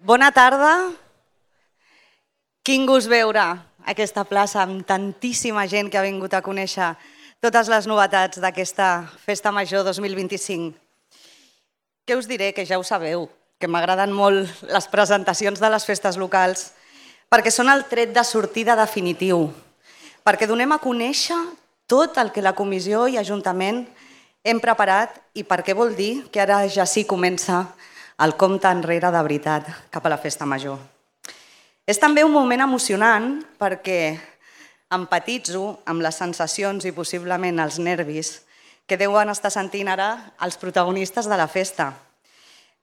Bona tarda. Quin gust veure aquesta plaça amb tantíssima gent que ha vingut a conèixer totes les novetats d'aquesta Festa Major 2025. Què us diré? Que ja ho sabeu, que m'agraden molt les presentacions de les festes locals perquè són el tret de sortida definitiu, perquè donem a conèixer tot el que la comissió i Ajuntament hem preparat i perquè vol dir que ara ja sí comença el compte enrere de veritat cap a la Festa Major. És també un moment emocionant perquè empatitzo amb les sensacions i possiblement els nervis que deuen estar sentint ara els protagonistes de la festa.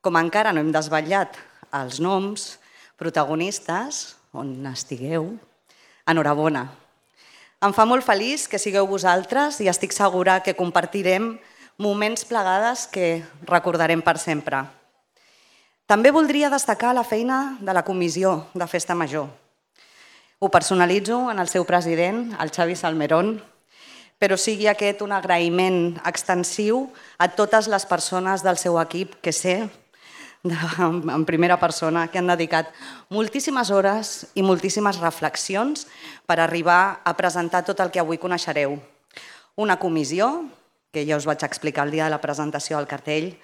Com encara no hem desvetllat els noms, protagonistes, on estigueu, enhorabona. Em fa molt feliç que sigueu vosaltres i estic segura que compartirem moments plegades que recordarem per sempre. També voldria destacar la feina de la comissió de Festa Major. Ho personalitzo en el seu president, el Xavi Salmerón, però sigui aquest un agraïment extensiu a totes les persones del seu equip que sé, en primera persona, que han dedicat moltíssimes hores i moltíssimes reflexions per arribar a presentar tot el que avui coneixereu. Una comissió, que ja us vaig explicar el dia de la presentació del cartell,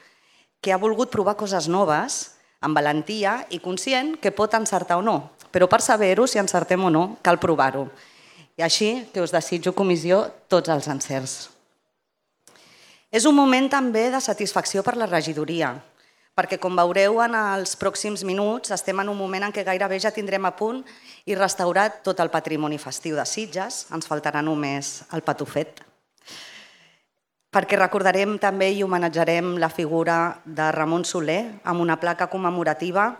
que ha volgut provar coses noves, amb valentia i conscient que pot encertar o no, però per saber-ho, si encertem o no, cal provar-ho. I així que us desitjo, comissió, tots els encerts. És un moment també de satisfacció per la regidoria, perquè com veureu en els pròxims minuts estem en un moment en què gairebé ja tindrem a punt i restaurat tot el patrimoni festiu de Sitges, ens faltarà només el patufet, perquè recordarem també i homenatjarem la figura de Ramon Soler amb una placa commemorativa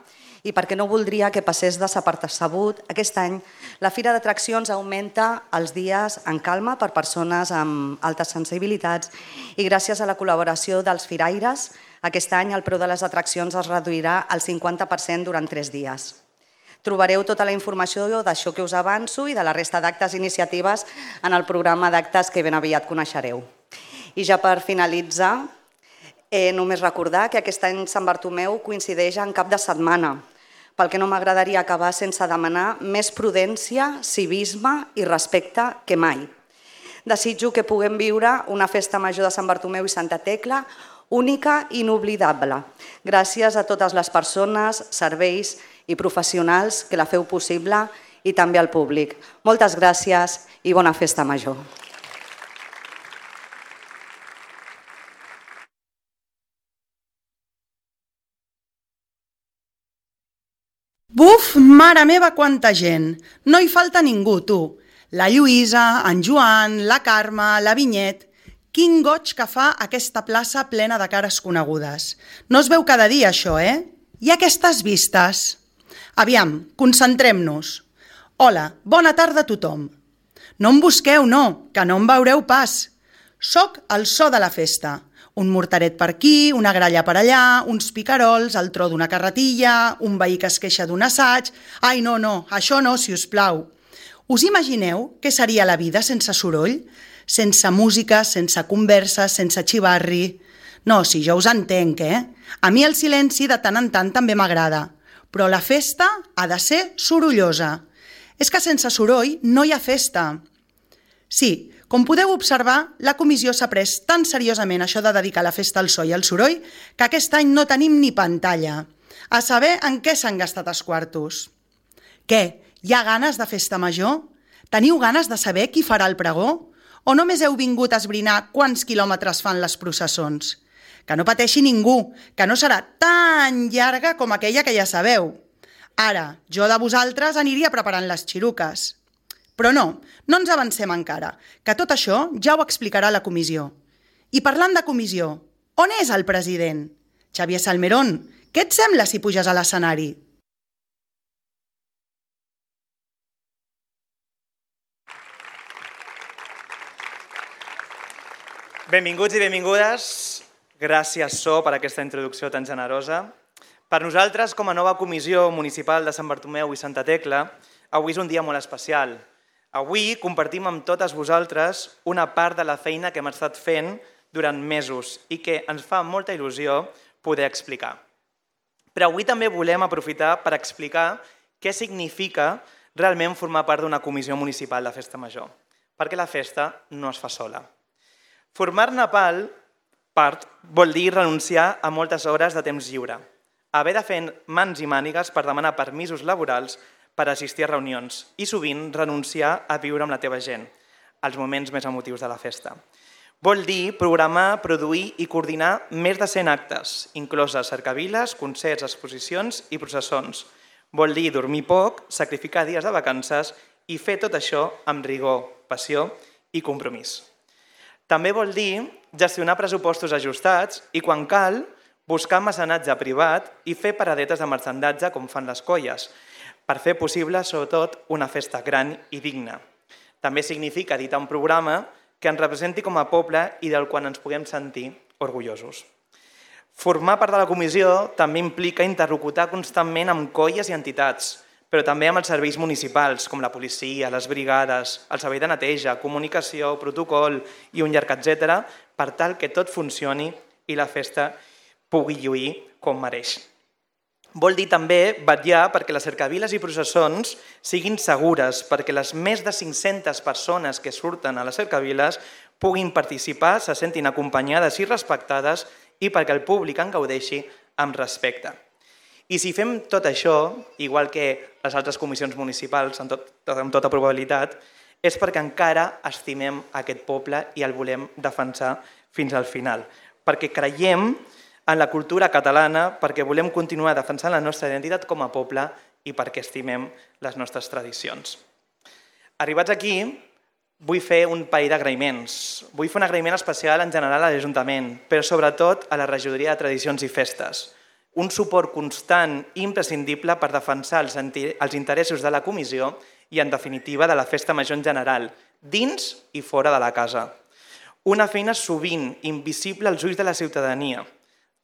i perquè no voldria que passés desapercebut, aquest any la Fira d'Atraccions augmenta els dies en calma per persones amb altes sensibilitats i gràcies a la col·laboració dels firaires, aquest any el preu de les atraccions es reduirà al 50% durant 3 dies. Trobareu tota la informació d'això que us avanço i de la resta d'actes i iniciatives en el programa d'actes que ben aviat coneixereu. I ja per finalitzar, només recordar que aquest any Sant Bartomeu coincideix en cap de setmana, pel que no m'agradaria acabar sense demanar més prudència, civisme i respecte que mai. Desitjo que puguem viure una festa major de Sant Bartomeu i Santa Tecla única i inoblidable, gràcies a totes les persones, serveis i professionals que la feu possible i també al públic. Moltes gràcies i bona festa major. Buf, mare meva, quanta gent! No hi falta ningú, tu. La Lluïsa, en Joan, la Carme, la Vinyet... Quin goig que fa aquesta plaça plena de cares conegudes. No es veu cada dia, això, I aquestes vistes? Aviam, concentrem-nos. Hola, bona tarda a tothom. No em busqueu, no, que no em veureu pas. Soc el so de la festa. Un mortaret per aquí, una gralla per allà, uns picarols, el tro d'una carretilla, un veí que es queixa d'un assaig... Ai, no, això no, si us plau. Us imagineu què seria la vida sense soroll? Sense música, sense conversa, sense xivarri... No, si jo us entenc, A mi el silenci de tant en tant també m'agrada, però la festa ha de ser sorollosa. És que sense soroll no hi ha festa. Sí, com podeu observar, la comissió s'ha pres tan seriosament això de dedicar la festa al so i al soroll que aquest any no tenim ni pantalla. A saber en què s'han gastat els quartos. Què? Hi ha ganes de festa major? Teniu ganes de saber qui farà el pregó? O només heu vingut a esbrinar quants quilòmetres fan les processons? Que no pateixi ningú, que no serà tan llarga com aquella que ja sabeu. Ara, jo de vosaltres aniria preparant les xiruques. Però no ens avancem encara, que tot això ja ho explicarà la comissió. I parlant de comissió, on és el president? Xavier Salmerón, què et sembla si puges a l'escenari? Benvinguts i benvingudes. Gràcies, So, per aquesta introducció tan generosa. Per nosaltres, com a nova comissió municipal de Sant Bartomeu i Santa Tecla, avui és un dia molt especial. Avui compartim amb totes vosaltres una part de la feina que hem estat fent durant mesos i que ens fa molta il·lusió poder explicar. Però avui també volem aprofitar per explicar què significa realment formar part d'una comissió municipal de festa major, perquè la festa no es fa sola. Formar-ne part vol dir renunciar a moltes hores de temps lliure, haver de fer mans i mànigues per demanar permisos laborals per assistir a reunions i sovint renunciar a viure amb la teva gent, els moments més emotius de la festa. Vol dir programar, produir i coordinar més de 100 actes, incloses cercaviles, concerts, exposicions i processons. Vol dir dormir poc, sacrificar dies de vacances i fer tot això amb rigor, passió i compromís. També vol dir gestionar pressupostos ajustats i, quan cal, buscar mecenatge privat i fer paradetes de marxandatge com fan les colles, per fer possible, sobretot, una festa gran i digna. També significa editar un programa que ens representi com a poble i del qual ens puguem sentir orgullosos. Formar part de la comissió també implica interlocutar constantment amb colles i entitats, però també amb els serveis municipals, com la policia, les brigades, el servei de neteja, comunicació, protocol i un llarg etcètera, per tal que tot funcioni i la festa pugui lluir com mereix. Vol dir també vetllar perquè les cercaviles i processons siguin segures, perquè les més de 500 persones que surten a les cercaviles puguin participar, se sentin acompanyades i respectades i perquè el públic en gaudeixi amb respecte. I si fem tot això, igual que les altres comissions municipals, amb tota probabilitat, és perquè encara estimem aquest poble i el volem defensar fins al final, perquè creiem en la cultura catalana, perquè volem continuar defensant la nostra identitat com a poble i perquè estimem les nostres tradicions. Arribats aquí, vull fer un parell d'agraïments. Vull fer un agraïment especial en general a l'Ajuntament, però sobretot a la Regidoria de Tradicions i Festes. Un suport constant i imprescindible per defensar els interessos de la comissió i, en definitiva, de la festa major en general, dins i fora de la casa. Una feina sovint invisible als ulls de la ciutadania,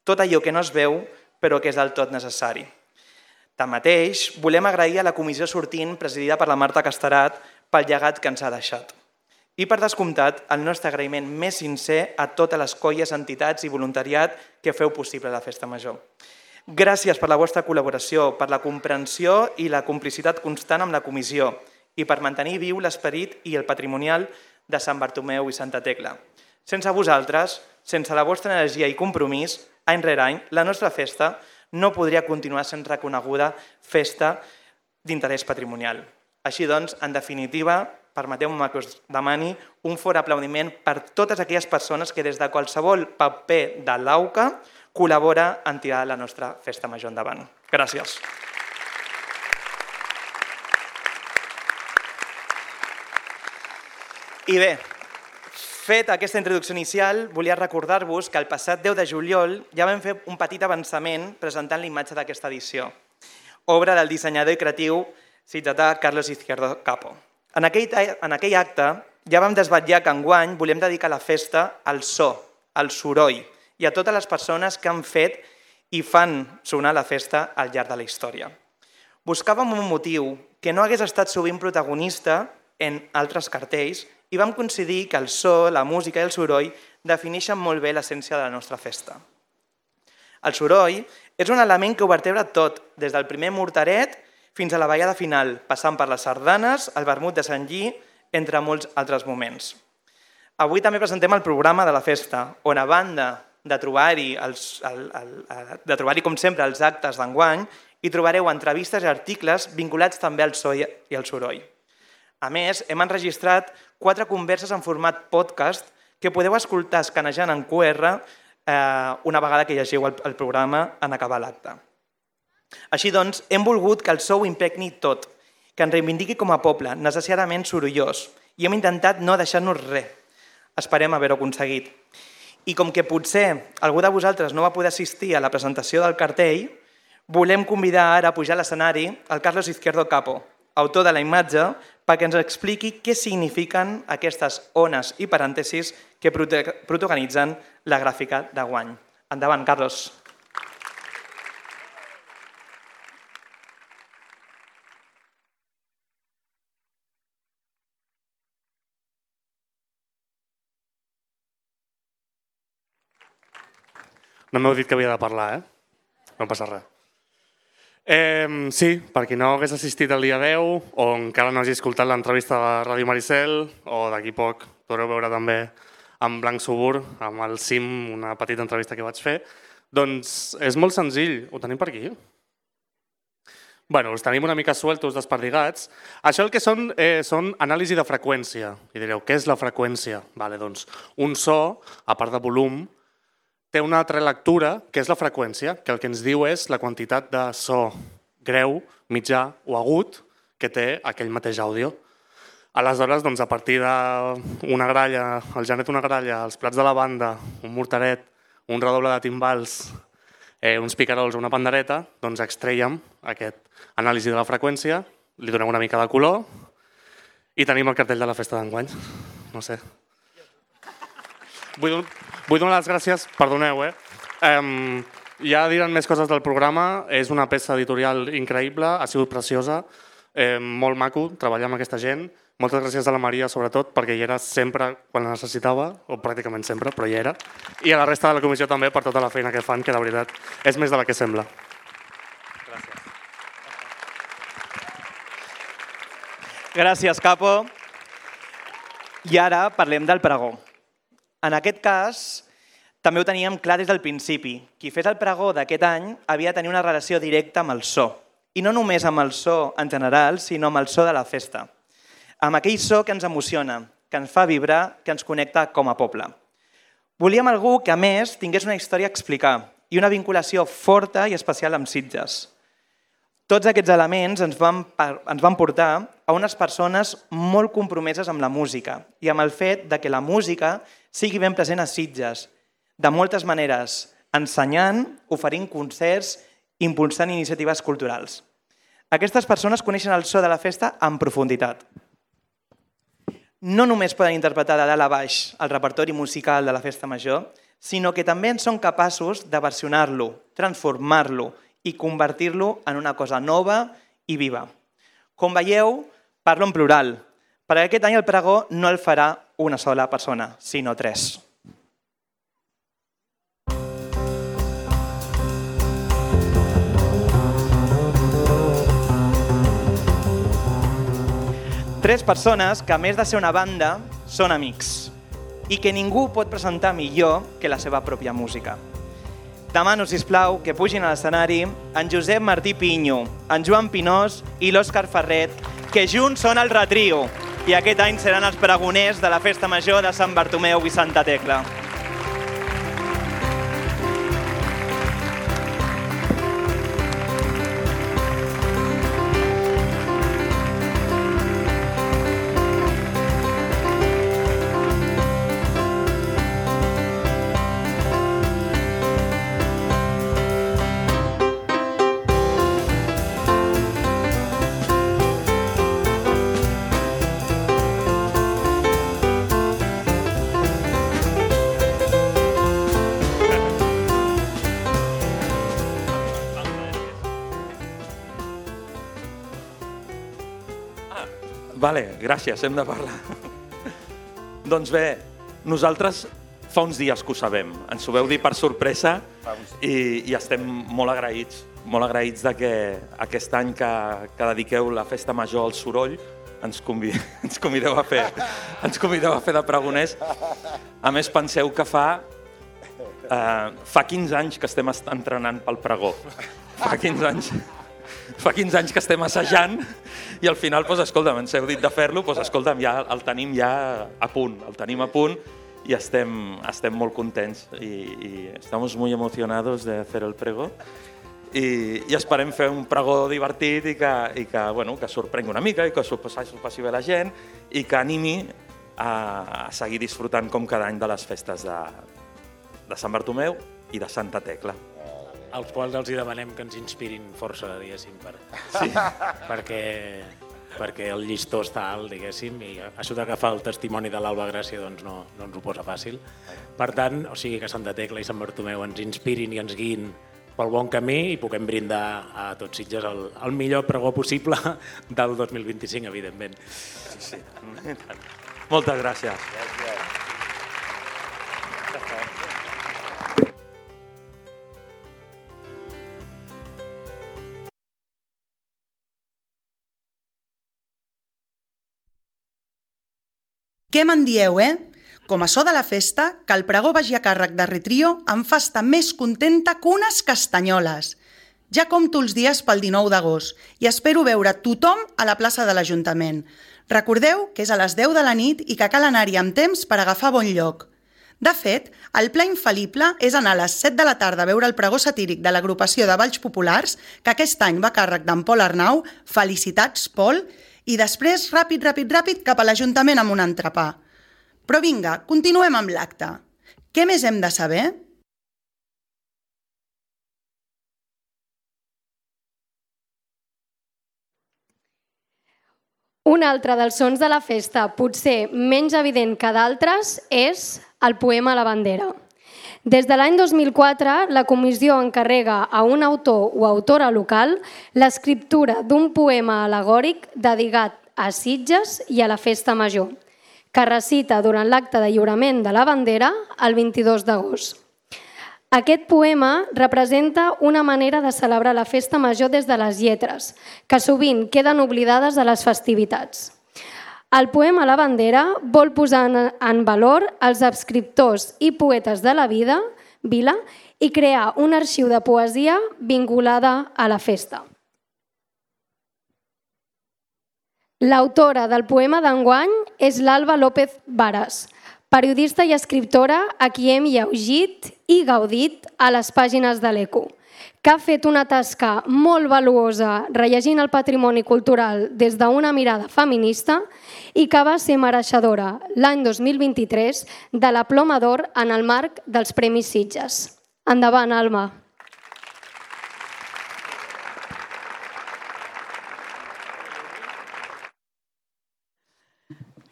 tot allò que no es veu però que és del tot necessari. Tanmateix, volem agrair a la comissió sortint, presidida per la Marta Casterat, pel llegat que ens ha deixat. I, per descomptat, el nostre agraïment més sincer a totes les colles, entitats i voluntariat que feu possible la festa major. Gràcies per la vostra col·laboració, per la comprensió i la complicitat constant amb la comissió i per mantenir viu l'esperit i el patrimonial de Sant Bartomeu i Santa Tecla. Sense vosaltres, sense la vostra energia i compromís, any rere any, la nostra festa no podria continuar sent reconeguda festa d'interès patrimonial. Així doncs, en definitiva, permeteu-me que us demani un fort aplaudiment per totes aquelles persones que des de qualsevol paper de l'AUCA col·labora en tirar la nostra festa major endavant. Gràcies. I bé, fet aquesta introducció inicial, volia recordar-vos que el passat 10 de juliol ja vam fer un petit avançament presentant l'imatge d'aquesta edició, obra del dissenyador i creatiu sitgetà Carlos Izquierdo Capo. En aquell acte ja vam desvetllar que enguany volem dedicar la festa al so, al soroll i a totes les persones que han fet i fan sonar la festa al llarg de la història. Buscàvem un motiu que no hagués estat sovint protagonista en altres cartells i vam coincidir que el so, la música i el soroll defineixen molt bé l'essència de la nostra festa. El soroll és un element que ho vertebra tot, des del primer mortaret fins a la ballada final, passant per les sardanes, el vermut de Sant Lli, entre molts altres moments. Avui també presentem el programa de la festa, on a banda de trobar-hi, com sempre, els actes d'enguany, hi trobareu entrevistes i articles vinculats també al so i al soroll. A més, hem enregistrat 4 converses en format podcast que podeu escoltar escanejant en QR una vegada que llegiu el programa en acabar l'acte. Així doncs, hem volgut que el so ho impregni tot, que ens reivindiqui com a poble, necessàriament sorollós, i hem intentat no deixar-nos res. Esperem haver-ho aconseguit. I com que potser algú de vosaltres no va poder assistir a la presentació del cartell, volem convidar ara a pujar a l'escenari el Carlos Izquierdo Capo, autor de la imatge, perquè ens expliqui què signifiquen aquestes ones i parèntesis que protagonitzen la gràfica d'enguany. Endavant, Carlos. No m'heu dit que havia de parlar, No passa res. Sí, per qui no hagués assistit el dia 10 o encara no hagi escoltat l'entrevista de Ràdio Maricel, o d'aquí poc podreu veure també amb Blanc Subur, amb el CIM, una petita entrevista que vaig fer, doncs és molt senzill, ho tenim per aquí. Bueno, us tenim una mica sueltos, desperdigats. Això el que són anàlisi de freqüència. I direu, què és la freqüència? Vale, doncs, un so, a part de volum, té una altra lectura, que és la freqüència, que el que ens diu és la quantitat de so greu, mitjà o agut que té aquell mateix àudio. Aleshores, doncs, a partir d'una gralla, el Janet una gralla, els plats de la banda, un mortaret, un redoble de timbals, uns picarols o una pandereta, doncs extreiem aquest anàlisi de la freqüència, li donem una mica de color i tenim el cartell de la festa d'enguany. No sé. Vull donar les gràcies, perdoneu, ja diran més coses del programa, és una peça editorial increïble, ha sigut preciosa, molt maco treballar amb aquesta gent. Moltes gràcies a la Maria, sobretot, perquè hi era sempre quan la necessitava, o pràcticament sempre, però hi era. I a la resta de la comissió també per tota la feina que fan, que de veritat és més de la que sembla. Gràcies. Gràcies, Capo. I ara parlem del pregó. En aquest cas, també ho teníem clar des del principi. Qui fes el pregó d'aquest any havia de tenir una relació directa amb el so. I no només amb el so en general, sinó amb el so de la festa. Amb aquell so que ens emociona, que ens fa vibrar, que ens connecta com a poble. Volíem algú que, a més, tingués una història a explicar i una vinculació forta i especial amb Sitges. Tots aquests elements ens van portar a unes persones molt compromeses amb la música i amb el fet que la música sigui ben present a Sitges, de moltes maneres, ensenyant, oferint concerts, impulsant iniciatives culturals. Aquestes persones coneixen el so de la festa en profunditat. No només poden interpretar de dalt a baix el repertori musical de la festa major, sinó que també en són capaços de versionar-lo, transformar-lo i convertir-lo en una cosa nova i viva. Com veieu, parlo en plural, perquè aquest any el pregó no el farà una sola persona, sinó 3. Tres persones que, a més de ser una banda, són amics i que ningú pot presentar millor que la seva pròpia música. Demano, sisplau, que pugin a l'escenari en Josep Martí Pinyo, en Joan Pinós i l'Òscar Ferret, que junts són el Retrio i aquest any seran els pregoners de la Festa Major de Sant Bartomeu i Santa Tecla. Vale, gràcies, hem de parlar. Doncs bé, nosaltres fa uns dies que ho sabem. Ens ho veu dir per sorpresa i estem molt agraïts de que aquest any que dediqueu la Festa Major al soroll ens convideu a fer de pregoners. A més, penseu que fa 15 anys que estem entrenant pel pregó. Fa 15 anys que estem assajant i al final, escolta'm, ens heu dit de fer-lo, escolta'm, ja el tenim ja a punt, y estem molt contents y estamos muy emocionados de hacer el pregó i esperem fer un pregó divertit i que sorprengui una mica i que s'ho passi bé la gent i que animi a seguir disfrutant com cada any de les festes de Sant Bartomeu i de Santa Tecla. Als quals els demanem que ens inspirin força, diguéssim, perquè el llistó està alt, diguéssim, i això d'agafar el testimoni de l'Alba Gràcia doncs no ens ho posa fàcil. Per tant, o sigui que Santa Tecla i Sant Bartomeu ens inspirin i ens guiïn pel bon camí i puguem brindar a tots Sitges el millor pregó possible del 2025, evidentment. Sí. Moltes gràcies. Què me'n dieu, Com a so de la festa, que el pregó vagi a càrrec de Retrio em fa estar més contenta que unes castanyoles. Ja compto els dies pel 19 d'agost i espero veure tothom a la plaça de l'Ajuntament. Recordeu que és a les 10 de la nit i que cal anar-hi amb temps per agafar bon lloc. De fet, el pla infal·lible és anar a les 7 de la tarda a veure el pregó satíric de l'agrupació de Balls Populars, que aquest any va a càrrec d'en Pol Arnau, felicitats, Pol, i després, ràpid, cap a l'Ajuntament amb un entrepà. Però vinga, continuem amb l'acte. Què més hem de saber? Un altre dels sons de la festa, potser menys evident que d'altres, és el poema a la bandera. Des de l'any 2004, la comissió encarrega a un autor o autora local l'escriptura d'un poema al·legòric dedicat a Sitges i a la Festa Major, que recita durant l'acte de lliurament de la bandera el 22 d'agost. Aquest poema representa una manera de celebrar la Festa Major des de les lletres, que sovint queden oblidades a les festivitats. El poema La bandera vol posar en valor els escriptors i poetes de la vila i crear un arxiu de poesia vinculada a la festa. L'autora del poema d'enguany és l'Alba López Varas, periodista i escriptora a qui hem llegit i gaudit a les pàgines de l'Eco, que ha fet una tasca molt valuosa rellegint el patrimoni cultural des d'una mirada feminista i que va ser mereixedora l'any 2023 de la Ploma d'Or en el marc dels Premis Sitges. Endavant, Alba.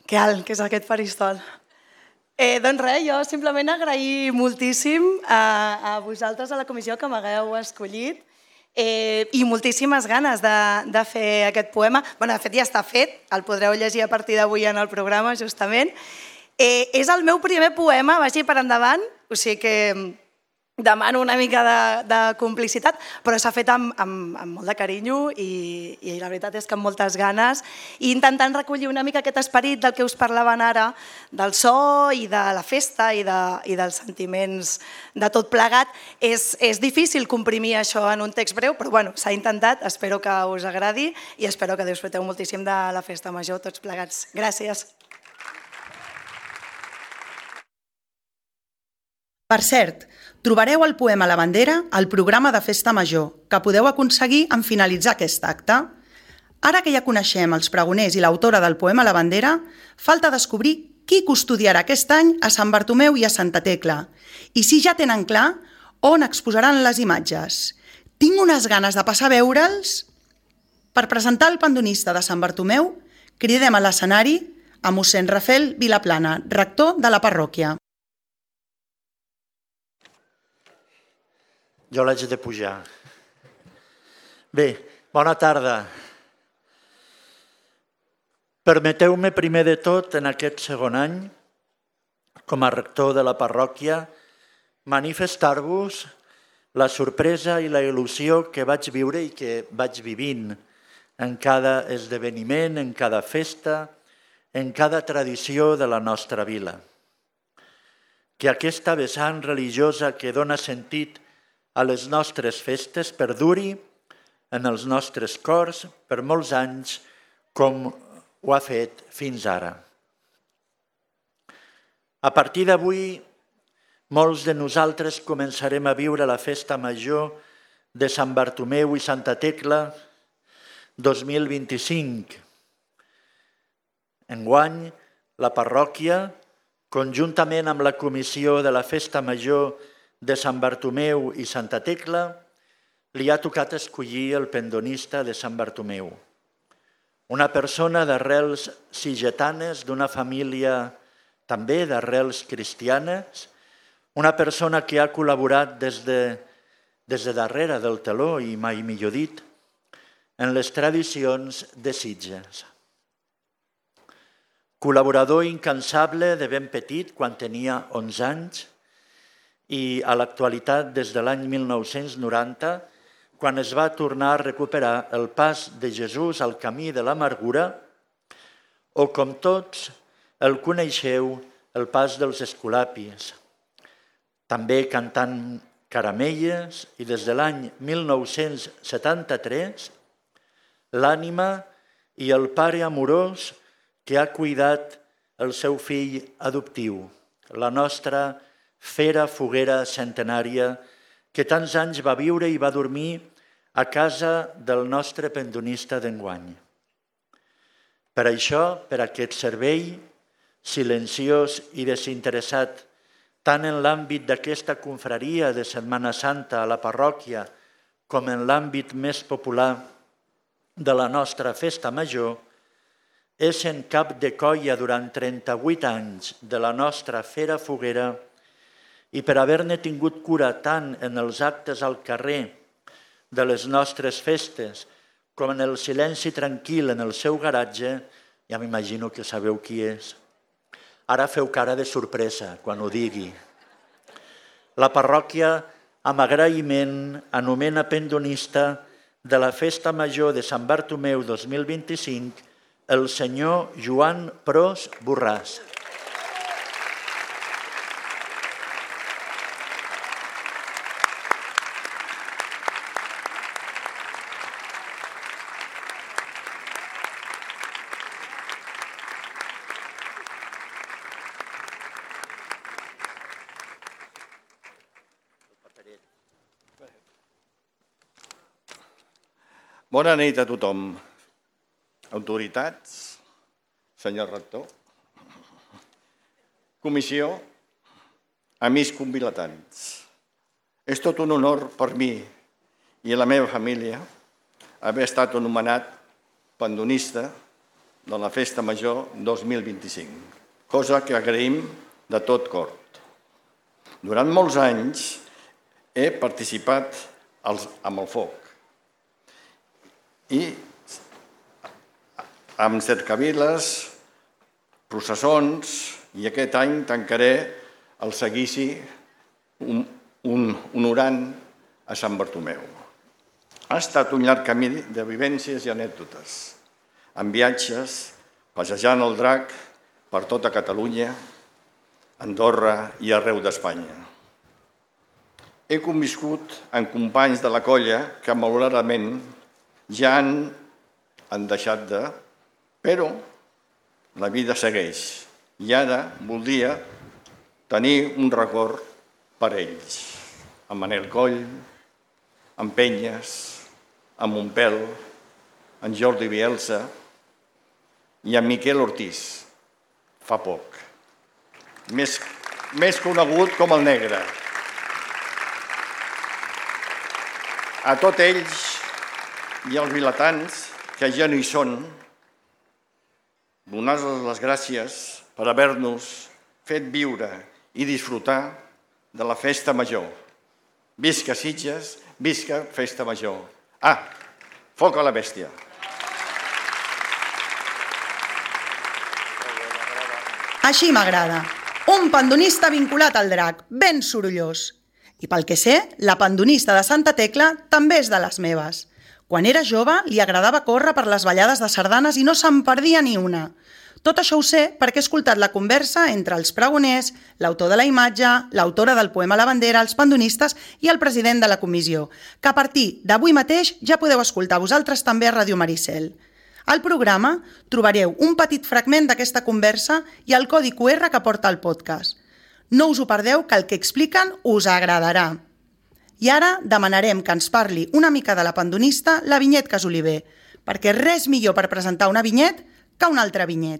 Que alt, que és aquest faristol. Doncs res, jo simplement agrair moltíssim a vosaltres, a la comissió, que m'hagueu escollit i moltíssimes ganes de fer aquest poema. Bé, de fet ja està fet, el podreu llegir a partir d'avui en el programa, justament. És el meu primer poema, vagi per endavant, o sigui que demano una mica de complicitat, però s'ha fet amb molt de carinyo i la veritat és que amb moltes ganes, i intentant recollir una mica aquest esperit del que us parlaven ara, del so i de la festa i dels sentiments de tot plegat. És difícil comprimir això en un text breu, però bueno, s'ha intentat, espero que us agradi i espero que disfruteu moltíssim de la Festa Major tots plegats. Gràcies. Per cert, trobareu el poema La bandera al programa de Festa Major, que podeu aconseguir en finalitzar aquest acte. Ara que ja coneixem els pregoners i l'autora del poema La bandera, falta descobrir qui custodiarà aquest any a Sant Bartomeu i a Santa Tecla, i si ja tenen clar on exposaran les imatges. Tinc unes ganes de passar a veure'ls. Per presentar el pandonista de Sant Bartomeu, cridem a l'escenari a mossèn Rafel Vilaplana, rector de la parròquia. Jo l'haig de pujar. Bé, bona tarda. Permeteu-me primer de tot, en aquest segon any, com a rector de la parròquia, manifestar-vos la sorpresa i la il·lusió que vaig viure i que vaig vivint en cada esdeveniment, en cada festa, en cada tradició de la nostra vila. Que aquesta vessant religiosa que dona sentit a les nostres festes perduri en els nostres cors per molts anys com ho ha fet fins ara. A partir d'avui, molts de nosaltres començarem a viure la Festa Major de Sant Bartomeu i Santa Tecla 2025. Enguany, la parròquia, conjuntament amb la comissió de la Festa Major de Sant Bartomeu i Santa Tecla, li ha tocat escollir el pendonista de Sant Bartomeu. Una persona d'arrels sigetanes, d'una família també d'arrels cristianes, una persona que ha col·laborat des de darrere del teló, i mai millor dit, en les tradicions de Sitges. Col·laborador incansable de ben petit, quan tenia 11 anys, i a l'actualitat des de l'any 1990, quan es va tornar a recuperar el pas de Jesús al camí de l'amargura, o com tots, el coneixeu el pas dels escolapis, també cantant caramelles, i des de l'any 1973 l'ànima i el pare amorós que ha cuidat el seu fill adoptiu, la nostra fera foguera centenària que tants anys va viure i va dormir a casa del nostre pendonista d'enguany. Per això, per aquest servei silenciós i desinteressat, tant en l'àmbit d'aquesta confraria de Setmana Santa a la parròquia com en l'àmbit més popular de la nostra festa major, és en cap de colla durant 38 anys de la nostra fera foguera i per haver-ne tingut cura tant en els actes al carrer de les nostres festes com en el silenci tranquil en el seu garatge, ja m'imagino que sabeu qui és. Ara feu cara de sorpresa quan ho digui. La parròquia, amb agraïment, anomena pendonista de la Festa Major de Sant Bartomeu 2025 el senyor Joan Pros Borràs. Bona nit a tothom. Autoritats, senyor rector, comissió, amics convilatants. És tot un honor per mi i la meva família haver estat anomenat pendonista de la Festa Major 2025, cosa que agraïm de tot cor. Durant molts anys he participat amb el foc i amb cercaviles, processons, i aquest any tancaré el seguici honorant a Sant Bartomeu. Ha estat un llarg camí de vivències i anècdotes, amb viatges, passejant el drac per tota Catalunya, Andorra i arreu d'Espanya. He conviscut amb companys de la colla que malauradament ja han deixat de... Però la vida segueix i ara voldria tenir un record per ells, amb Manel Coll, amb Penyes, amb Montpel, amb Jordi Bielsa i amb Miquel Ortiz, fa poc, més conegut com el Negre. A tots ells i als vilatans que ja no hi són, donar-los les gràcies per haver-nos fet viure i disfrutar de la Festa Major. Visca Sitges, visca Festa Major. Foc a la bèstia. Així m'agrada. Un pendonista vinculat al drac, ben sorollós. I pel que sé, la pendonista de Santa Tecla també és de les meves. Quan era jove, li agradava córrer per les ballades de sardanes i no se'n perdia ni una. Tot això ho sé perquè he escoltat la conversa entre els pregoners, l'autor de la imatge, l'autora del poema La Bandera, els pendonistes i el president de la comissió, que a partir d'avui mateix ja podeu escoltar vosaltres també a Ràdio Maricel. Al programa trobareu un petit fragment d'aquesta conversa i el codi QR que porta el podcast. No us ho perdeu, que el que expliquen us agradarà. I ara demanarem que ens parli una mica de la pendonista la Vinyet Casoliver, perquè res millor per presentar una vinyet que un altre vinyet.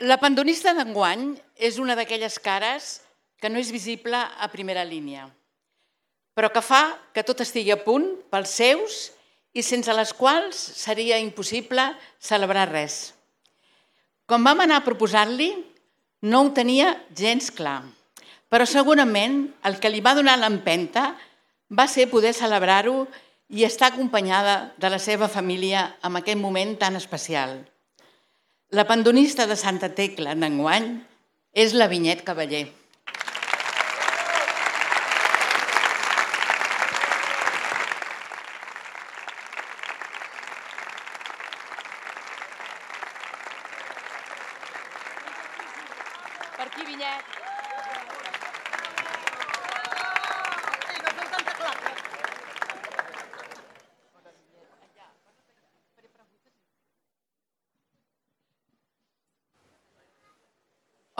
La pendonista d'enguany és una d'aquelles cares que no és visible a primera línia, però que fa que tot estigui a punt pels seus i sense les quals seria impossible celebrar res. Quan vam anar a proposar-li, no ho tenia gens clar, però segurament el que li va donar l'empenta va ser poder celebrar-ho i estar acompanyada de la seva família en aquest moment tan especial. La pendonista de Santa Tecla d'enguany és la Vinyet Cavaller.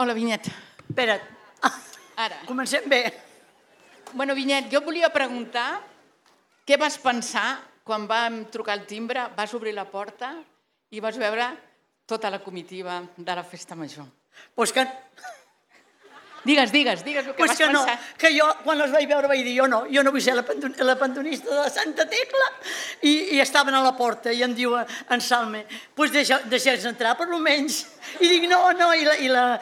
Hola, Vinyet. Espera't. Ara. Comencem bé. Bueno, Vinyet, jo volia preguntar què vas pensar quan vam trucar al timbre, vas obrir la porta i vas veure tota la comitiva de la Festa Major. Pues que... Digues el que vas que no, pensar. que jo quan els vaig veure vaig dir jo no vull ser la pantonista de Santa Tecla i estaven a la porta i em diu en Salme, pues deixeu-nos entrar per almenys. I dic no, i la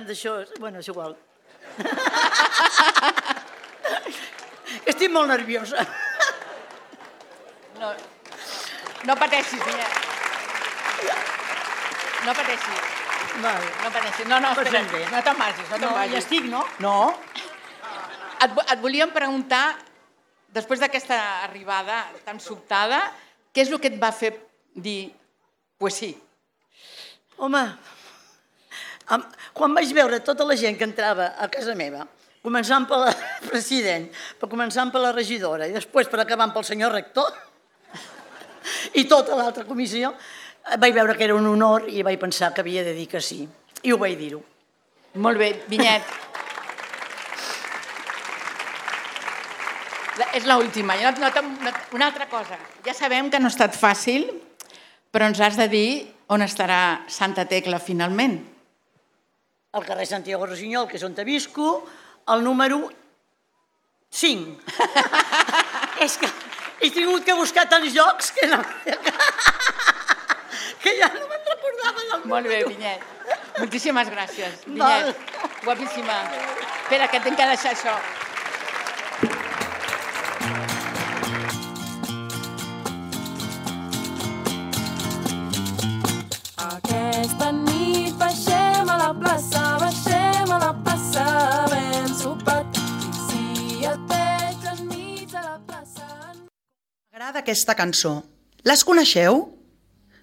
d'això, bueno, és igual. Estic molt nerviosa. No pateixis, Vinyet. No pateixis. No pateixis. No, espera, no te'n vagis. No, ja estic, no? No. Et volíem preguntar, després d'aquesta arribada tan sobtada, què és el que et va fer dir, pues sí? Home, quan vaig veure tota la gent que entrava a casa meva, començant pel president, començant per la regidora i després per acabar pel senyor rector i tota l'altra comissió, vaig veure que era un honor i vaig pensar que havia de dir que sí. I ho vaig dir-ho. Molt bé, Vinyet. És l'última. Una altra cosa. Ja sabem que no ha estat fàcil, però ens has de dir on estarà Santa Tecla finalment. Al carrer Santiago Rosinyol, que és on visco, el número 5. És que he tingut que buscar tants llocs que ja no me'n recordava del número. Molt bé, Vinyet. Moltíssimes gràcies. Vinyet, guapíssima. Espera, que tinc que deixar això. Aquesta nit baixem a la plaça, ben sopat, si et veig enmig de la plaça. M'agrada aquesta cançó. Les coneixeu?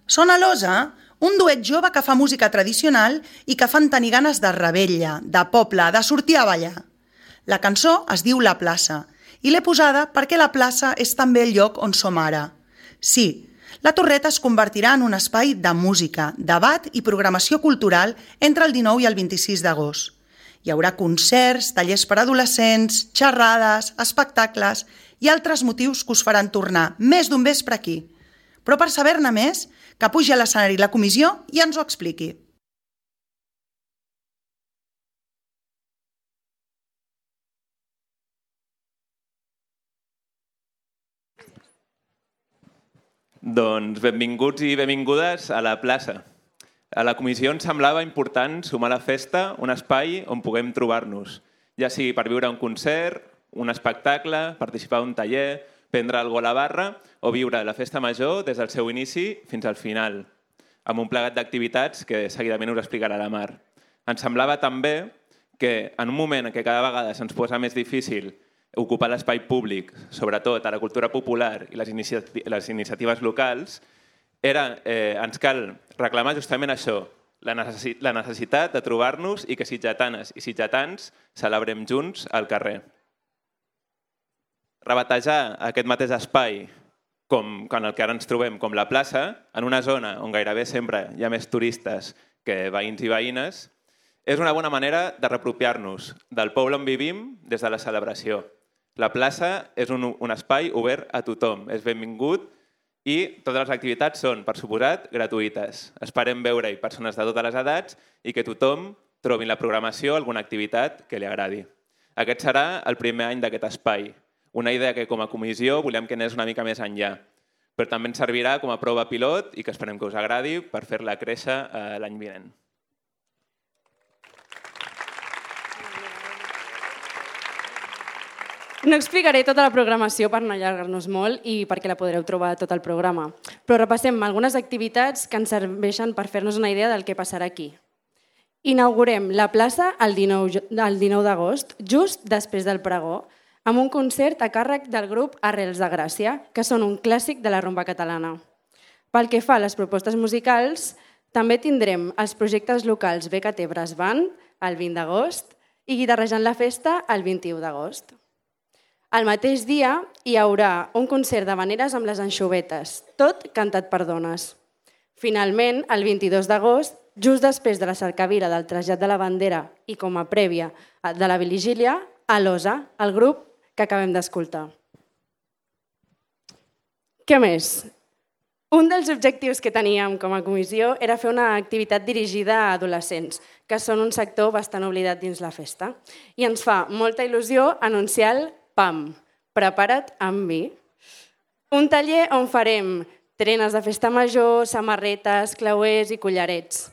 Són a l'Osa, un duet jove que fa música tradicional i que fan tenir ganes de revetlla, de poble, de sortir a ballar. La cançó es diu La plaça i l'he posada perquè la plaça és també el lloc on som ara. Sí, la Torreta es convertirà en un espai de música, debat i programació cultural entre el 19 i el 26 d'agost. Hi haurà concerts, tallers per adolescents, xerrades, espectacles i altres motius que us faran tornar més d'un vespre aquí. Però per saber-ne més, que pugi a l'escenari la comissió i ens ho expliqui. Doncs benvinguts i benvingudes a la plaça. A la comissió ens semblava important sumar a la festa un espai on puguem trobar-nos, ja sigui per viure un concert, un espectacle, participar d'un taller, prendre alguna cosa a la barra o viure la festa major des del seu inici fins al final, amb un plegat d'activitats que seguidament us explicarà la Mar. Ens semblava també que en un moment en què cada vegada se'ns posa més difícil ocupar l'espai públic, sobretot a la cultura popular i les iniciatives locals, ens cal reclamar justament això, la necessitat de trobar-nos i que sitgetanes i sitgetans celebrem junts al carrer. Rebatejar aquest mateix espai com en el que ara ens trobem com la plaça, en una zona on gairebé sempre hi ha més turistes que veïns i veïnes, és una bona manera de reapropiar-nos del poble on vivim des de la celebració. La plaça és un espai obert a tothom, és benvingut i totes les activitats són, per suposat, gratuïtes. Esperem veure-hi persones de totes les edats i que tothom trobi la programació alguna activitat que li agradi. Aquest serà el primer any d'aquest espai. Una idea que com a comissió volem que anés una mica més enllà, però també ens servirà com a prova pilot i que esperem que us agradi per fer-la créixer l'any vinent. No explicaré tota la programació per no allargar-nos molt i perquè la podreu trobar tot el programa, però repassem algunes activitats que ens serveixen per fer-nos una idea del que passarà aquí. Inaugurem la plaça el 19 d'agost, just després del pregó, amb un concert a càrrec del grup Arrels de Gràcia, que són un clàssic de la rumba catalana. Pel que fa a les propostes musicals, també tindrem els projectes locals BKT Brass Band el 20 d'agost i Guitarrejant la Festa el 21 d'agost. El mateix dia hi haurà un concert d'havaneres amb les anxovetes, tot cantat per dones. Finalment, el 22 d'agost, just després de la cercavila del trasllat de la bandera i com a prèvia de la vigília, a l'OSA, el grup que acabem d'escoltar. Què més? Un dels objectius que teníem com a comissió era fer una activitat dirigida a adolescents, que són un sector bastant oblidat dins la festa. I ens fa molta il·lusió anunciar el PAM, Prepara't amb mi. Un taller on farem trenes de festa major, samarretes, clauers i collarets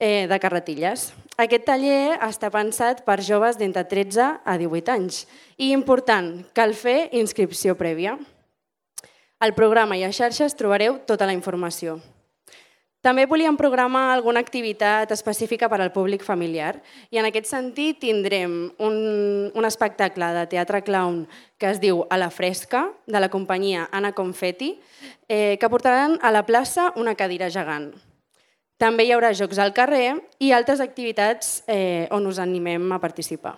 de carretilles. Aquest taller està pensat per joves d'entre 13 a 18 anys. I important, cal fer inscripció prèvia. Al programa i a xarxes trobareu tota la informació. També volíem programar alguna activitat específica per al públic familiar i en aquest sentit tindrem un espectacle de teatre clown que es diu A la fresca, de la companyia Anna Confetti, que portaran a la plaça una cadira gegant. També hi haurà jocs al carrer i altres activitats on us animem a participar.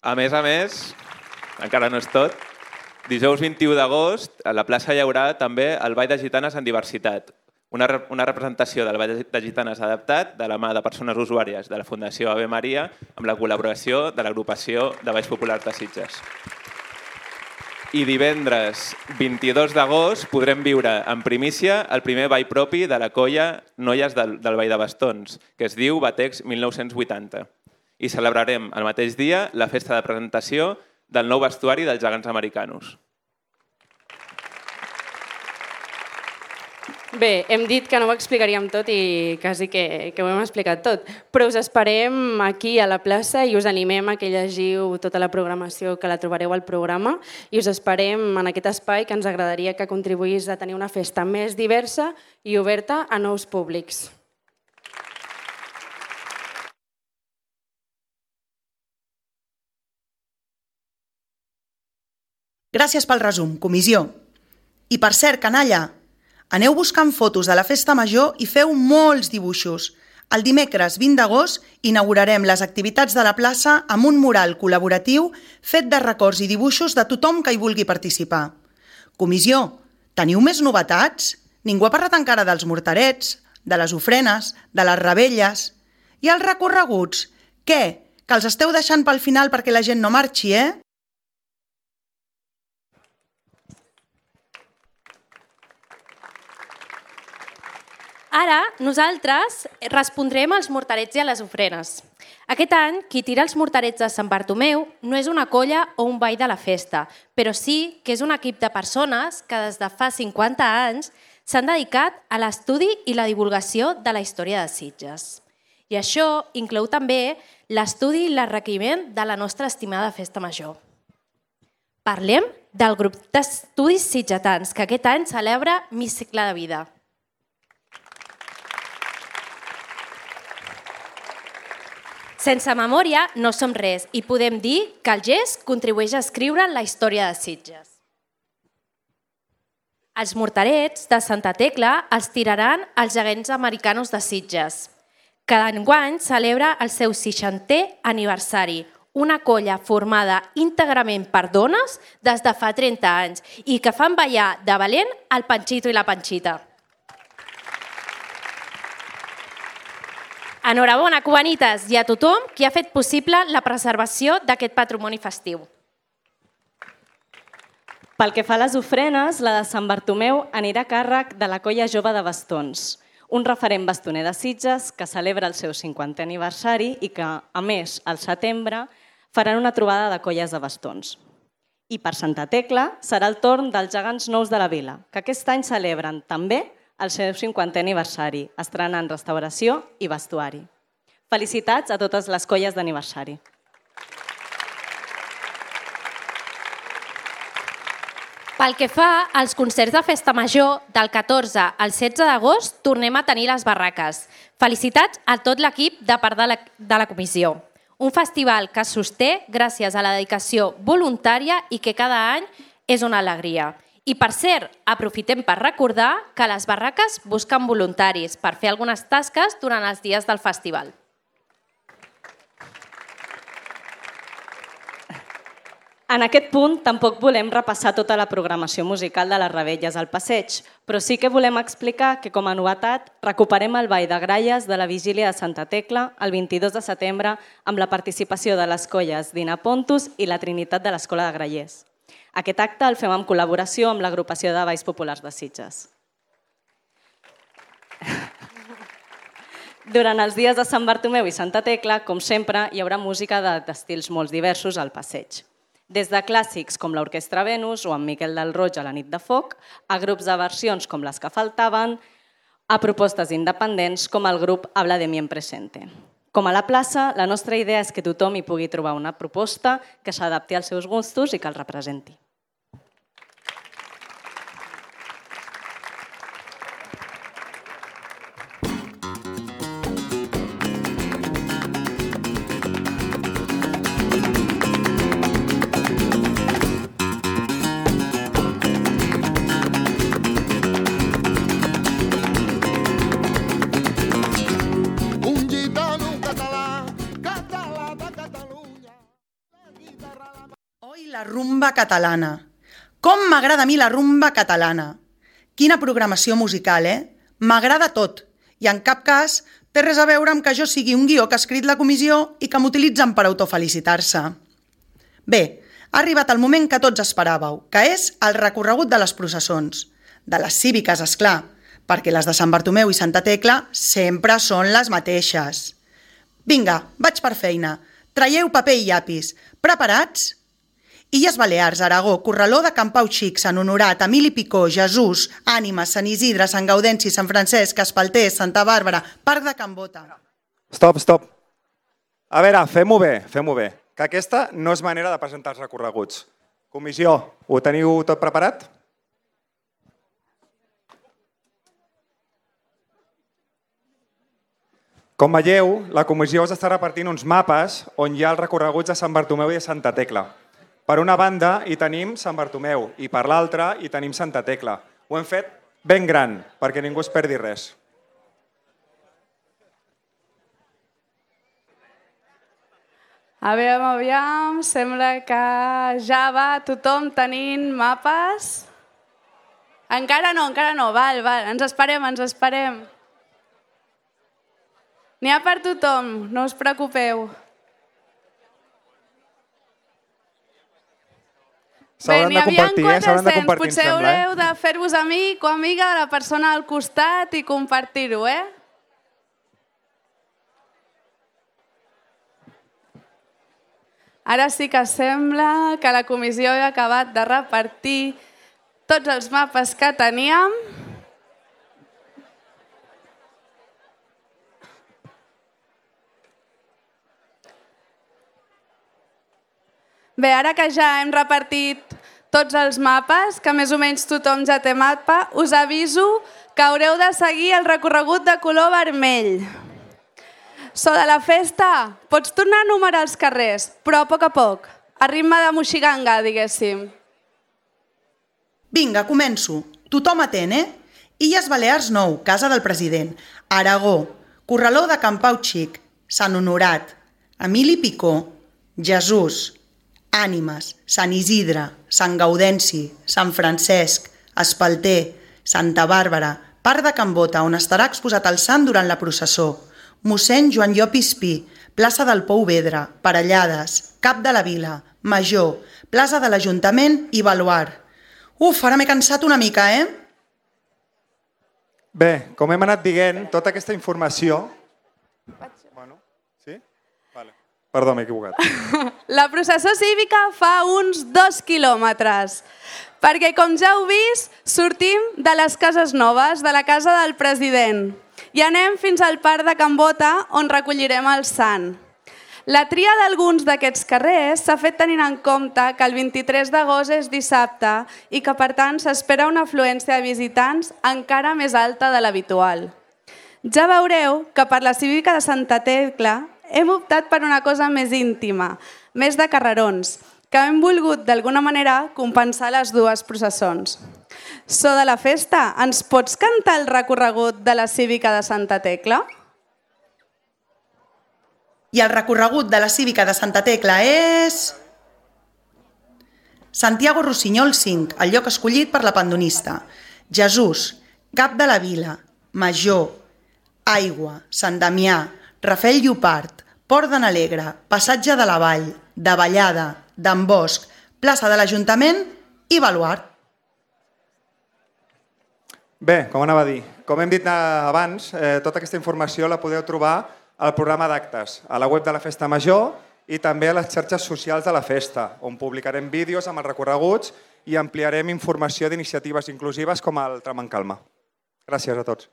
A més, encara no és tot, dijous 21 d'agost a la plaça hi haurà també el Ball de Gitanes en Diversitat, una representació del Ball de Gitanes adaptat de la mà de persones usuàries de la Fundació Ave Maria amb la col·laboració de l'agrupació de Balls Populars de Sitges. I divendres 22 d'agost podrem viure en primícia el primer ball propi de la colla Noies del Ball de Bastons, que es diu Batex 1980. I celebrarem el mateix dia la festa de presentació del nou vestuari dels gegants americanos. Bé, hem dit que no ho explicaríem tot i quasi que ho hem explicat tot, però us esperem aquí a la plaça i us animem a que llegiu tota la programació que la trobareu al programa i us esperem en aquest espai que ens agradaria que contribuís a tenir una festa més diversa i oberta a nous públics. Gràcies pel resum, comissió. I per cert, canalla, aneu buscant fotos de la festa major i feu molts dibuixos. El dimecres 20 d'agost inaugurarem les activitats de la plaça amb un mural col·laboratiu fet de records i dibuixos de tothom que hi vulgui participar. Comissió, teniu més novetats? Ningú ha parlat encara dels morterets, de les ofrenes, de les rebelles. I els recorreguts? Què? Que els esteu deixant pel final perquè la gent no marxi, Ara, nosaltres respondrem als morterets i a les ofrenes. Aquest any, qui tira els morterets de Sant Bartomeu no és una colla o un ball de la festa, però sí que és un equip de persones que des de fa 50 anys s'han dedicat a l'estudi i la divulgació de la història de Sitges. I això inclou també l'estudi i l'enriquiment de la nostra estimada festa major. Parlem del grup d'estudis sitgetans, que aquest any celebra Mi cicle de vida. Sense memòria no som res i podem dir que el gest contribueix a escriure la història de Sitges. Els morterets de Santa Tecla els tiraran els gegants americanos de Sitges. Cada enguany celebra el seu 60è aniversari, una colla formada íntegrament per dones des de fa 30 anys i que fan ballar de valent el Panxito i la Panxita. Enhorabona, cubanites, i a tothom qui ha fet possible la preservació d'aquest patrimoni festiu. Pel que fa a les ofrenes, la de Sant Bartomeu anirà a càrrec de la colla jove de Bastons, un referent bastoner de Sitges que celebra el seu 50è aniversari i que, a més, al setembre, faran una trobada de colles de bastons. I per Santa Tecla serà el torn dels gegants nous de la vila, que aquest any celebren també el seu 50è aniversari, estrenant restauració i vestuari. Felicitats a totes les colles d'aniversari. Pel que fa als concerts de festa major, del 14 al 16 d'agost tornem a tenir les barraques. Felicitats a tot l'equip de part de la comissió. Un festival que es sosté gràcies a la dedicació voluntària i que cada any és una alegria. I per cert, aprofitem per recordar que les barraques busquen voluntaris per fer algunes tasques durant els dies del festival. En aquest punt tampoc volem repassar tota la programació musical de les Rebelles al passeig, però sí que volem explicar que com a novetat recuperem el ball de gralles de la Vigília de Santa Tecla el 22 de setembre amb la participació de les colles Dina Pontus i la Trinitat de l'Escola de Grallers. Aquest acte el fem en col·laboració amb l'agrupació de Balls Populars de Sitges. Durant els dies de Sant Bartomeu i Santa Tecla, com sempre, hi haurà música d'estils molt diversos al passeig. Des de clàssics com l'Orquestra Venus o en Miquel del Roig a la nit de foc, a grups de versions com les que faltaven, a propostes independents com el grup Habla de mi en presente. Com a la plaça, la nostra idea és que tothom hi pugui trobar una proposta que s'adapti als seus gustos i que el representi. La rumba catalana. Com m'agrada a mi la rumba catalana. Quina programació musical, M'agrada tot. I en cap cas té res a veure amb que jo sigui un guió que ha escrit la comissió i que m'utilitzen per autofelicitar-se. Bé, ha arribat el moment que tots esperàveu, que és el recorregut de les processons. De les cíviques, esclar, perquè les de Sant Bartomeu i Santa Tecla sempre són les mateixes. Vinga, vaig per feina. Traieu paper i llapis. Preparats? Illes Balears, Aragó, Corraló de Can Pau Xic, Sant Honorat, Emili Picó, Jesús, Ànimes, Sant Isidre, Sant Gaudenci, Sant Francesc, Espalter, Santa Bàrbara, Parc de Can Bota. Stop. A veure, fem-ho bé, que aquesta no és manera de presentar els recorreguts. Comissió, ho teniu tot preparat? Com veieu, la comissió us està repartint uns mapes on hi ha els recorreguts de Sant Bartomeu i de Santa Tecla. Per una banda hi tenim Sant Bartomeu i per l'altra hi tenim Santa Tecla. Ho hem fet ben gran, perquè ningú es perdi res. Aviam, sembla que ja va tothom tenint mapes. Encara no, val, ens esperem. N'hi ha per tothom, no us preocupeu. S'hauran de compartir, s'hauran de compartir, em potser sembla. haureu de fer-vos amic o amiga de la persona al costat i compartir-ho, Ara sí que sembla que la comissió ha acabat de repartir tots els mapes que teníem. Bé, ara que ja hem repartit tots els mapes, que més o menys tothom ja té mapa, us aviso que haureu de seguir el recorregut de color vermell. So de la festa, pots tornar a numerar els carrers, però a poc, a ritme de moixiganga, diguéssim. Vinga, començo. Tothom atent, Illes Balears 9, Casa del President. Aragó, Corraló de Can Pau Xic, Sant Honorat, Emili Picó, Jesús, Ànimes, Sant Isidre, Sant Gaudenci, Sant Francesc, Espalter, Santa Bàrbara, Parc de Can Bota, on estarà exposat el sant durant la processó, mossèn Joan Llopis Pi, plaça del Pou Vedra, Parellades, Cap de la Vila, Major, plaça de l'Ajuntament i Baluard. Ara m'he cansat una mica, Bé, com hem anat dient, tota aquesta informació... Sí? Vale. Perdó, m'he equivocat. La processó cívica fa uns 2 quilòmetres, perquè, com ja heu vist, sortim de les Cases Noves, de la casa del president, i anem fins al Parc de Can Bota, on recollirem el sant. La tria d'alguns d'aquests carrers s'ha fet tenint en compte que el 23 d'agost és dissabte i que, per tant, s'espera una afluència de visitants encara més alta de l'habitual. Ja veureu que per la cívica de Santa Tecla hem optat per una cosa més íntima, més de carrerons, que hem volgut d'alguna manera compensar les dues processons. So de la festa, ens pots cantar el recorregut de la cívica de Santa Tecla? I el recorregut de la cívica de Santa Tecla és... Santiago Rossinyol 5, el lloc escollit per la pandonista. Jesús, Cap de la Vila, Major, Aigua, Sant Damià, Rafael Llopart, Port de n'Alegre, Passatge de la Vall, de Vallada, d'en Bosch, plaça de l'Ajuntament i Baluart. Bé, com anava a dir, com hem dit abans, tota aquesta informació la podeu trobar al programa d'actes, a la web de la Festa Major i també a les xarxes socials de la festa, on publicarem vídeos amb els recorreguts i ampliarem informació d'iniciatives inclusives com el Tram en Calma. Gràcies a tots.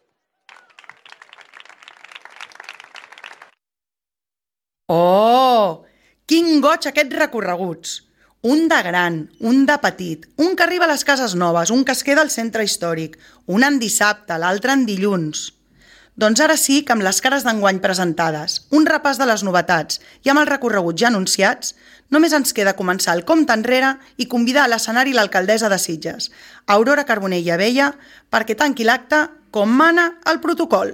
Oh! Quin goig aquests recorreguts! Un de gran, un de petit, un que arriba a les Cases Noves, un que es queda al centre històric, un en dissabte, l'altre en dilluns. Doncs ara sí que amb les cares d'enguany presentades, un repàs de les novetats i amb els recorreguts ja anunciats, només ens queda començar el compte enrere i convidar a l'escenari l'alcaldessa de Sitges, Aurora Carbonell i Abella, perquè tanqui l'acte com mana el protocol.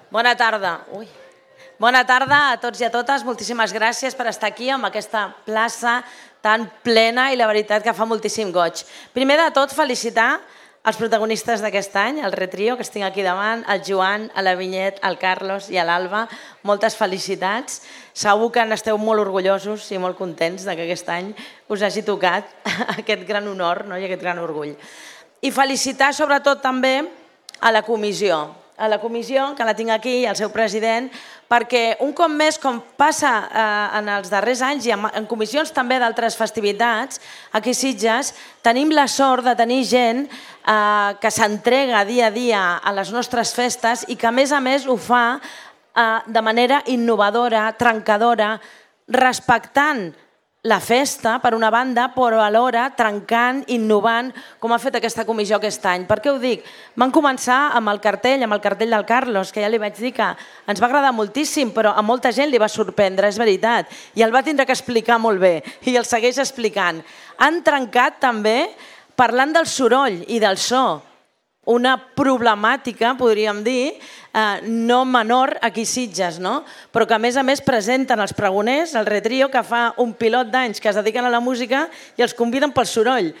Bona tarda. Bona tarda a tots i a totes. Moltíssimes gràcies per estar aquí amb aquesta plaça tan plena i la veritat que fa moltíssim goig. Primer de tot, felicitar els protagonistes d'aquest any, el Retrio, que estic aquí davant, el Joan, la Vinyet, el Carlos i l'Alba. Moltes felicitats. Segur que n'esteu molt orgullosos i molt contents que aquest any us hagi tocat aquest gran honor i aquest gran orgull. I felicitar sobretot també a la comissió, que la tinc aquí, i al seu president, perquè un cop més, com passa en els darrers anys i en comissions també d'altres festivitats, aquí a Sitges tenim la sort de tenir gent que s'entrega dia a dia a les nostres festes i que a més ho fa de manera innovadora, trencadora, respectant la festa, per una banda, però alhora trencant, innovant, com ha fet aquesta comissió aquest any. Per què ho dic? Van començar amb el cartell del Carlos, que ja li vaig dir que ens va agradar moltíssim, però a molta gent li va sorprendre, és veritat, i el va tindre que explicar molt bé, i el segueix explicant. Han trencat també parlant del soroll i del so, una problemàtica, podríem dir, no menor aquí a Sitges, però que a més presenten els pregoners, el Retrio, que fa un pilot d'anys que es dediquen a la música i els conviden pel soroll.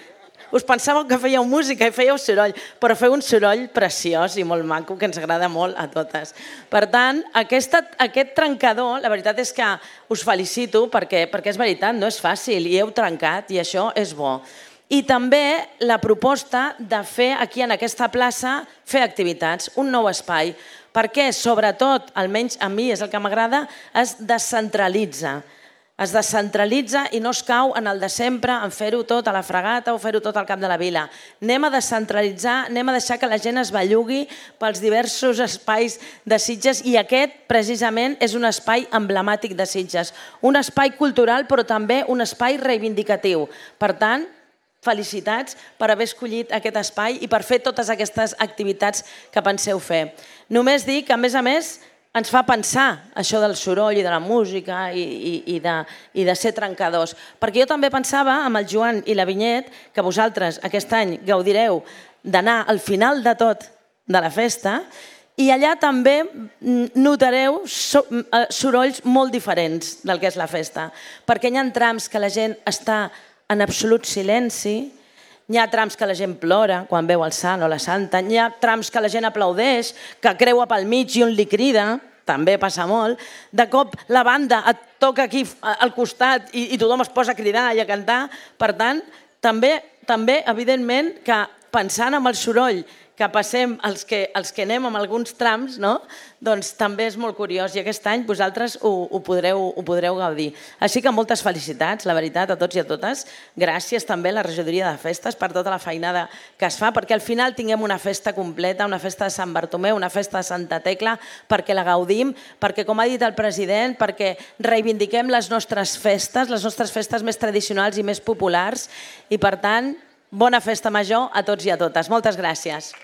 Us pensàveu que fèieu música i fèieu soroll, però feu un soroll preciós i molt maco que ens agrada molt a totes. Per tant, aquest trencador, la veritat és que us felicito perquè és veritat, no és fàcil i heu trencat i això és bo. I també la proposta de fer aquí en aquesta plaça, fer activitats, un nou espai, perquè sobretot, almenys a mi és el que m'agrada, es descentralitza. Es descentralitza i no es cau en el de sempre, en fer-ho tot a la Fregata o fer-ho tot al Cap de la Vila. Anem a descentralitzar, anem a deixar que la gent es bellugui pels diversos espais de Sitges i aquest, precisament, és un espai emblemàtic de Sitges. Un espai cultural, però també un espai reivindicatiu. Per tant, felicitats per haver escollit aquest espai i per fer totes aquestes activitats que penseu fer. Només dir que, a més, ens fa pensar això del soroll i de la música i de ser trencadors. Perquè jo també pensava, amb el Joan i la Vinyet, que vosaltres aquest any gaudireu d'anar al final de tot de la festa i allà també notareu sorolls molt diferents del que és la festa. Perquè hi ha trams que la gent està en absolut silenci, hi ha trams que la gent plora quan veu el sant o la santa, hi ha trams que la gent aplaudeix, que creua pel mig i un li crida, també passa molt, de cop la banda et toca aquí al costat i tothom es posa a cridar i a cantar. Per tant, també evidentment, que pensant en el soroll que passem els que anem amb alguns trams, doncs també és molt curiós i aquest any vosaltres ho podreu gaudir. Així que moltes felicitats, la veritat, a tots i a totes. Gràcies també a la regidoria de festes per tota la feinada que es fa, perquè al final tinguem una festa completa, una festa de Sant Bartomeu, una festa de Santa Tecla, perquè la gaudim, perquè, com ha dit el president, perquè reivindiquem les nostres festes més tradicionals i més populars i, per tant, bona festa major a tots i a totes. Moltes gràcies.